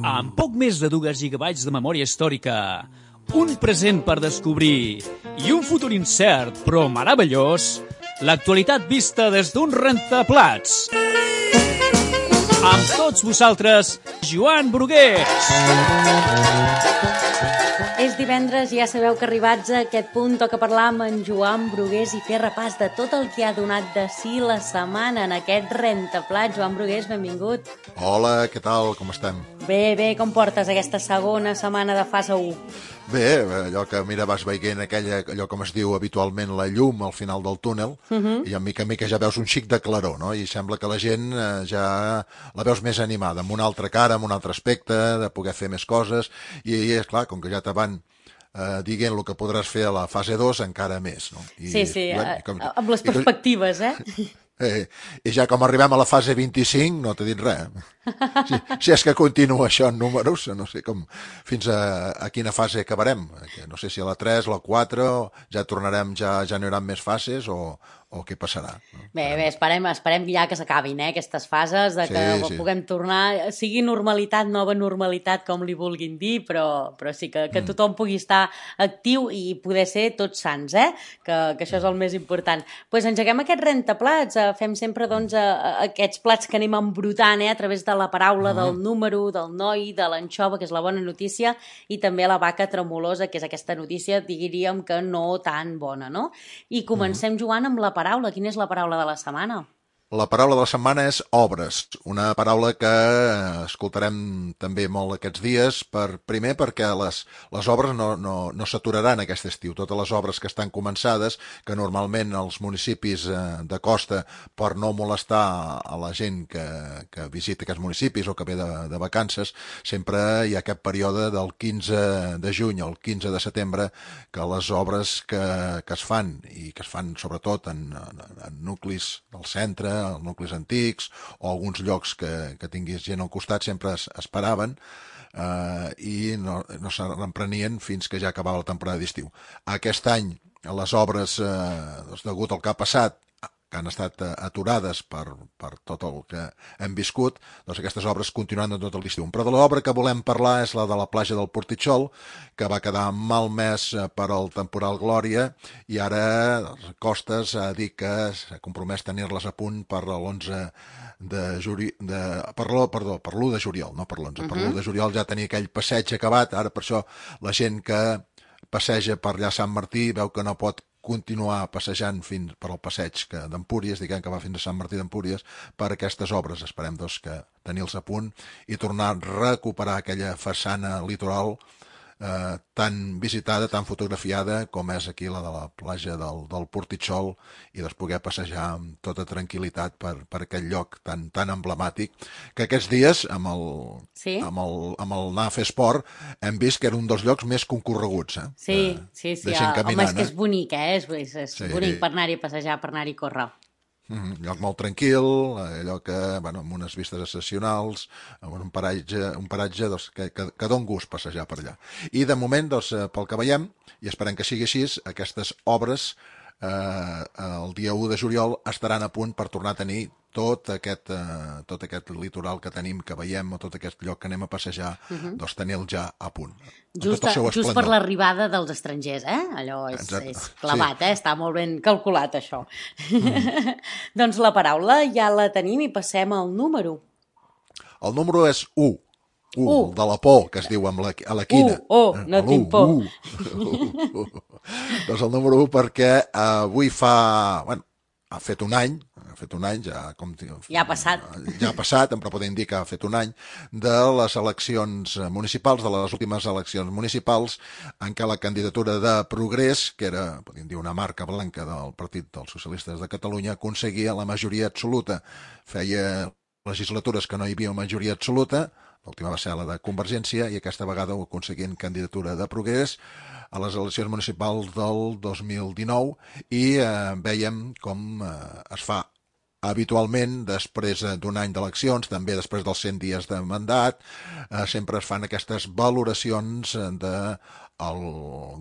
Amb poc més de 2 gigabytes de memòria històrica, un present per descobrir i un futur incert però meravellós, l'actualitat vista des d'un rentaplats. Amb tots vosaltres, Joan Brugués. És divendres i ja sabeu que arribats a aquest punt toca parlar amb en Joan Brugués i fer repàs de tot el que ha donat de si la setmana en aquest rentaplats. Joan Brugués, benvingut. Hola, què tal? Com estem? Bé, com portes aquesta segona setmana de fase 1? Bé, allò que, mira, vas veient allò com es diu habitualment la llum al final del túnel, i a mica ja veus un xic de claror, no? I sembla que la gent ja la veus més animada, amb una altra cara, amb un altre aspecte, de poder fer més coses, i és clar, com que ja te van dient el que podràs fer a la fase 2, encara més, no? Sí, amb les perspectives, I ja com arribem a la fase 25 no t'he dit res. Si és que continua això en números, no sé com fins a quina fase acabarem. No sé si a la 3, la 4, ja tornarem, ja no hi haurà més fases o què passarà. No? Bé, esperem ja que s'acabin aquestes fases, de que puguem tornar, sigui normalitat, nova normalitat, com li vulguin dir, però sí que tothom pugui estar actiu i poder ser tots sants, que això és el més important. Doncs engeguem aquest rentaplats, fem sempre aquests plats que anem embrutant a través de la paraula, del número, del noi, de l'anxova, que és la bona notícia, i també la vaca tremolosa, que és aquesta notícia, diríem que no tan bona, no? I comencem, Joan, amb la paraula. Quina és la paraula de la setmana? La paraula de la setmana és obres, una paraula que escoltarem també molt aquests dies, primer perquè les obres no s'aturaran aquest estiu. Totes les obres que estan començades, que normalment els municipis de costa, per no molestar a la gent que visita aquests municipis o que ve de vacances, sempre hi ha aquest període del 15 de juny al 15 de setembre que les obres que es fan, i que es fan sobretot en nuclis del centre, els nuclis antics o alguns llocs que tinguis gent al costat, sempre es paraven i no se reprenien fins que ja acabava la temporada d'estiu. Aquest any les obres, degut al que ha passat, que han estat aturades per tot el que hem viscut, doncs aquestes obres continuaran tot l'estiu. Però de l'obra que volem parlar és la de la platja del Portitxol, que va quedar malmès per al temporal Glòria, i ara Costes ha dit que s'ha compromès a tenir-les a punt per l'11 de juliol, per l'1 de juliol, no per l'11, per l'1 de juliol ja tenia aquell passeig acabat. Ara per això la gent que passeja per allà a Sant Martí veu que no pot continuar passejant fins per al passeig d'Empúries, diguem que va fins a Sant Martí d'Empúries, per aquestes obres. Esperem que tenir-los a punt i tornar a recuperar aquella façana litoral tan visitada, tan fotografiada com és aquí la de la platja del Portitxol, i poder passejar amb tota tranquil·litat per aquest lloc tan emblemàtic, que aquests dies amb el anar a fer esport hem vist que era un dels llocs més concorreguts. Sí. De gent caminant. Home, és que és bonic, és bonic per anar-hi a passejar, per anar-hi a córrer. Un lloc molt tranquil, allò que, amb unes vistes excepcionals, amb un paratge que dona gust passejar per allà. I de moment, pel que veiem, i esperem que sigui així, aquestes obres el dia 1 de juliol estaran a punt per tornar a tenir tot aquest litoral que tenim, que veiem, o tot aquest lloc que anem a passejar, doncs tenir-lo ja a punt. Just per l'arribada dels estrangers, allò és clavat, està molt ben calculat això. Doncs la paraula ja la tenim i passem al número. El número és 1. De la por, que es diu a la quina. No tinc por. Doncs el número 1 perquè avui ha fet un any, ja ha passat, però podem dir que ha fet un any, de les eleccions municipals, de les últimes eleccions municipals, en què la candidatura de Progrés, que era, podem dir, una marca blanca del Partit dels Socialistes de Catalunya, aconseguia la majoria absoluta. Feia legislatures que no hi havia majoria absoluta, l'última va ser la de Convergència, i aquesta vegada ho aconseguien candidatura de Progrés a les eleccions municipals del 2019, i veiem com es fa habitualment, després d'un any d'eleccions, també després dels 100 dies de mandat, sempre es fan aquestes valoracions del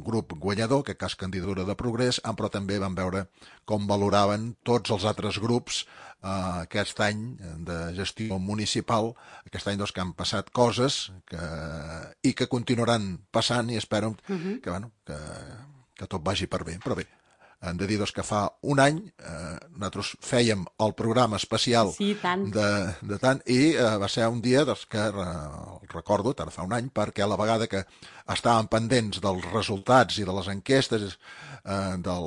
grup guanyador, que cas Candidatura de Progrés, però també van veure com valoraven tots els altres grups aquest any de gestió municipal, aquest any que han passat coses i que continuaran passant i espero que tot vagi per bé, però bé. Hem de dir que fa un any nosaltres fèiem el programa especial de tant i va ser un dia que recordo, ara fa un any, perquè a la vegada que estàvem pendents dels resultats i de les enquestes de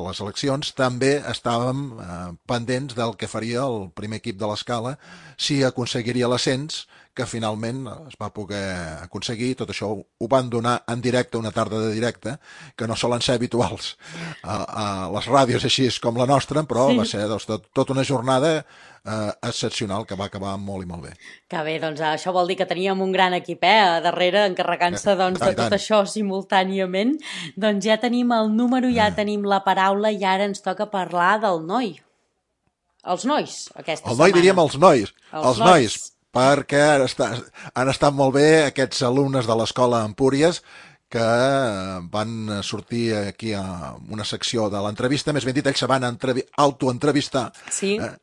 les eleccions, també estàvem pendents del que faria el primer equip de l'Escala si aconseguiria l'ascens, que finalment es va poder aconseguir. Tot això ho van donar en directe, una tarda de directe, que no solen ser habituals a les ràdios així com la nostra, però va ser tota una jornada excepcional que va acabar molt i molt bé. Que bé, doncs això vol dir que teníem un gran equip a darrere encarregant-se de tot això simultàniament. Doncs ja tenim el número, ja tenim la paraula i ara ens toca parlar del noi. Els nois, aquesta setmana. El noi diríem els nois. Els nois, perquè han estat molt bé aquests alumnes de l'escola Empúries que van sortir aquí a una secció de l'entrevista, més ben dit, ells se van autoentrevistar,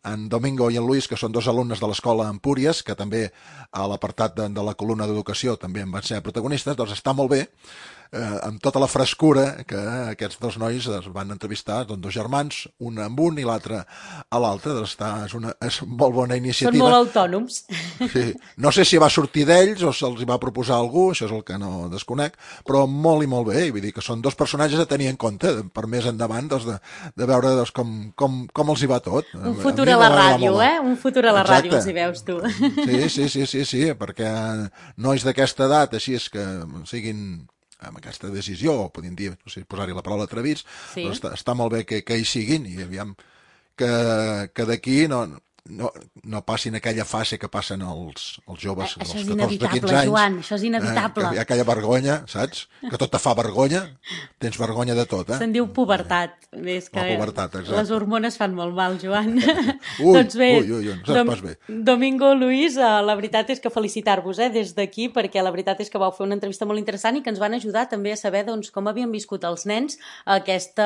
en Domingo i en Luis, que són dos alumnes de l'escola Empúries, que també a l'apartat de la columna d'educació també en van ser protagonistes, doncs està molt bé, amb tota la frescura que aquests dos nois es van entrevistar, dos germans, un amb un i l'altre a l'altre, és una molt bona iniciativa. Són molt autònoms. Sí. No sé si va sortir d'ells o se'ls va proposar algú, això és el que no desconec, però molt i molt bé, vull dir que són dos personatges a tenir en compte, per més endavant, de veure com els hi va tot. Un futur a la ràdio, Un futur a la ràdio, els hi veus tu. Sí, perquè nois d'aquesta edat, així és que siguin amb aquesta decisió, o podríem dir, no sé, posar-hi la paraula atrevits, però està molt bé que hi siguin i aviam que d'aquí no passin aquella fase que passen els joves dels 14 de 15 anys. Joan, això és inevitable. Hi ha aquella vergonya, saps? Que tot te fa vergonya. Tens vergonya de tot, Se'n diu pubertat. És que la pubertat, exacte. Les hormones fan molt mal, Joan. Doncs bé, no saps pas bé. Domingo, Luis, la veritat és que felicitar-vos des d'aquí, perquè la veritat és que vau fer una entrevista molt interessant i que ens van ajudar també a saber com havien viscut els nens aquest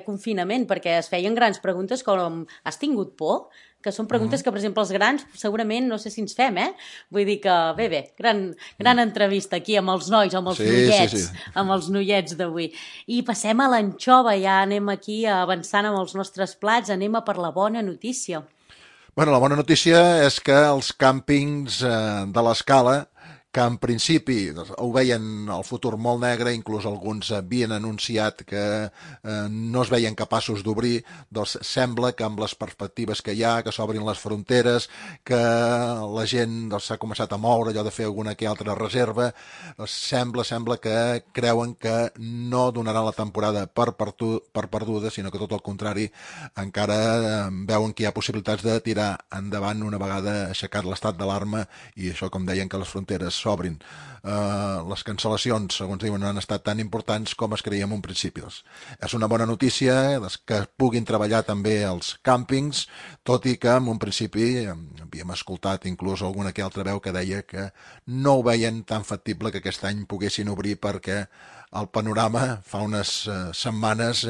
confinament, perquè es feien grans preguntes com: has tingut por? Que són preguntes que, per exemple, els grans segurament no sé si ens fem, Vull dir que, bé, gran entrevista aquí amb els nois, amb els noiets, amb els noiets d'avui. I passem a l'anxova, ja anem aquí avançant amb els nostres plats, anem a per la bona notícia. Bueno, la bona notícia és que els càmpings de l'Escala, que en principi ho veien el futur molt negre, inclús alguns havien anunciat que no es veien capaços d'obrir, doncs sembla que amb les perspectives que hi ha, que s'obrin les fronteres, que la gent s'ha començat a moure, allò de fer alguna que altra reserva, doncs sembla que creuen que no donaran la temporada per perduda, sinó que tot el contrari, encara veuen que hi ha possibilitats de tirar endavant una vegada aixecat l'estat d'alarma i això, com deien, que les fronteres s'obrin. Les cancel·lacions, segons diuen, no han estat tan importants com es creia en un principi. És una bona notícia que puguin treballar també els càmpings, tot i que en un principi havíem escoltat inclús alguna que altra veu que deia que no ho veien tan factible que aquest any poguessin obrir perquè el panorama fa unes setmanes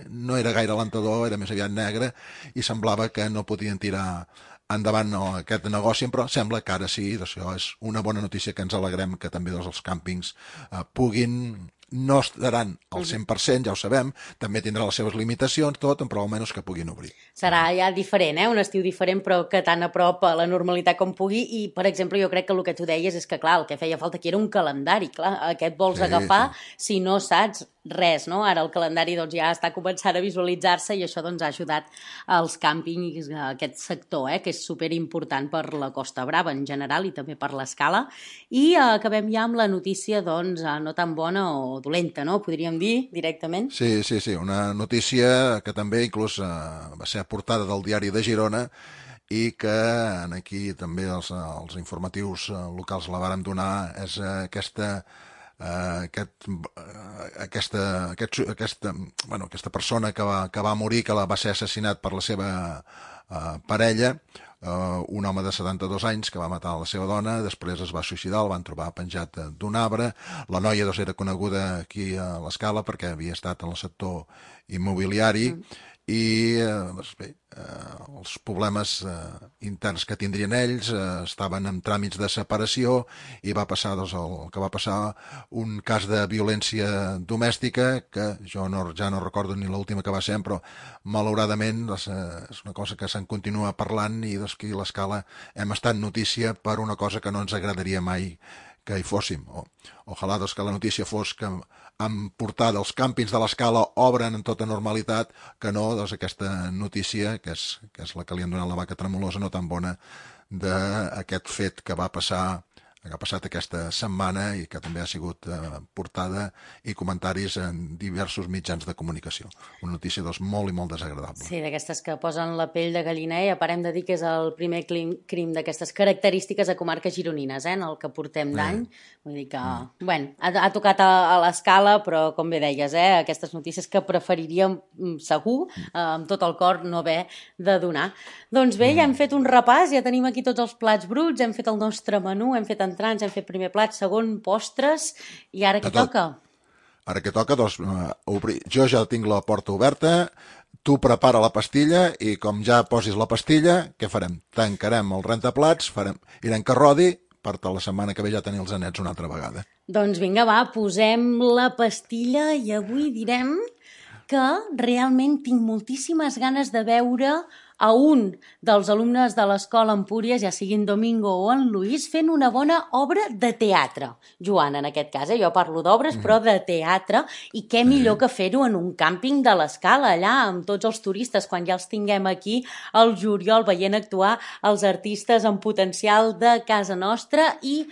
no era gaire alentador, era més aviat negre i semblava que no podien tirar endavant aquest negoci, però sembla que ara sí, això és una bona notícia que ens alegrem que també els càmpings puguin, no estaran al 100%, ja ho sabem, també tindrà les seves limitacions, tot, però almenys que puguin obrir. Serà ja diferent, un estiu diferent, però que tan a prop a la normalitat com pugui, i, per exemple, jo crec que el que tu deies és que, clar, el que feia falta aquí era un calendari, clar, aquest vols agafar si no saps res, no? Ara el calendari ja està començant a visualitzar-se i això ha ajudat als càmpings, a aquest sector, que és superimportant per la Costa Brava en general i també per l'Escala. I acabem ja amb la notícia, no tan bona o dolenta, no? Podríem dir directament? Sí, una notícia que també inclús va ser portada del Diari de Girona i que aquí també els informatius locals la vàrem donar, és aquesta aquesta persona que va morir, que va ser assassinat per la seva parella, un home de 72 anys que va matar la seva dona, després es va suïcidar, el van trobar penjat d'un arbre. La noia era coneguda aquí a l'Escala perquè havia estat en el sector immobiliari i bé, els problemes interns que tindrien ells estaven en tràmits de separació i va passar el que va passar, un cas de violència domèstica que jo ja no recordo ni l'última que va ser, però malauradament és una cosa que se'n continua parlant i aquí a l'Escala hem estat notícia per una cosa que no ens agradaria mai que hi fóssim. Ojalà que la notícia fos que amb portada els càmpings de l'Escala obren en tota normalitat, que no aquesta notícia, que és la que li han donat la vaca tremolosa, no tan bona, d'aquest fet que ha passat aquesta setmana i que també ha sigut portada i comentaris en diversos mitjans de comunicació. Una notícia molt i molt desagradable. Sí, d'aquestes que posen la pell de gallina i parem de dir que és el primer crim d'aquestes característiques a comarques gironines, en el que portem d'any. Vull dir que, bueno, ha tocat a l'Escala, però com bé deies, aquestes notícies que preferiríem segur, amb tot el cor, no haver de donar. Doncs bé, ja hem fet un repàs, ja tenim aquí tots els plats bruts, hem fet el nostre menú, hem fet entrants, hem fet primer plat, segon, postres, i ara què toca? Ara què toca? Doncs jo ja tinc la porta oberta, tu prepara la pastilla i com ja posis la pastilla, què farem? Tancarem el rentaplats, irem que rodi, per la setmana que ve ja tenir els anets una altra vegada. Doncs vinga, va, posem la pastilla i avui direm que realment tinc moltíssimes ganes de veure a un dels alumnes de l'escola Empúries, ja sigui en Domingo o en Luis, fent una bona obra de teatre. Joan, en aquest cas, jo parlo d'obres, però de teatre, i què millor que fer-ho en un càmping de l'Escala, allà, amb tots els turistes, quan ja els tinguem aquí al juliol, veient actuar els artistes en potencial de casa nostra i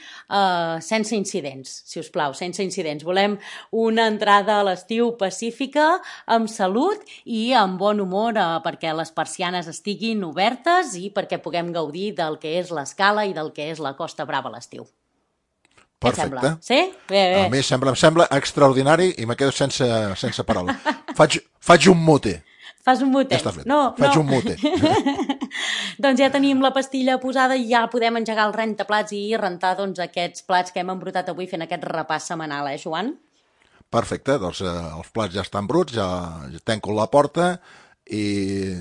sense incidents, si us plau, sense incidents. Volem una entrada a l'estiu pacífica, amb salut i amb bon humor, perquè les persianes estiguin obertes i perquè puguem gaudir del que és l'Escala i del que és la Costa Brava a l'estiu. Perfecte. Sí? Bé. A mi em sembla extraordinari i me quedo sense paraula. Faig un mute. Fas un mute? Ja està fet. No. Faig un mute. Doncs ja tenim la pastilla posada i ja podem engegar el rentaplats i rentar aquests plats que hem embrutat avui fent aquest repàs setmanal, Joan? Perfecte, doncs els plats ja estan bruts, ja tanco la porta i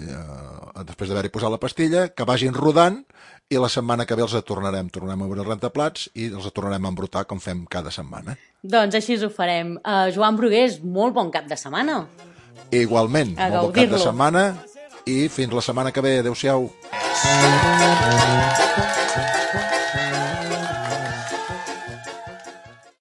després d'haver-hi posat la pastilla, que vagin rodant i la setmana que ve tornarem a obrir els rentaplats i els tornarem a embrutar com fem cada setmana. Doncs així ho farem. Joan Brugués, molt bon cap de setmana. Igualment, molt bon cap de setmana i fins la setmana que ve. Adéu-siau.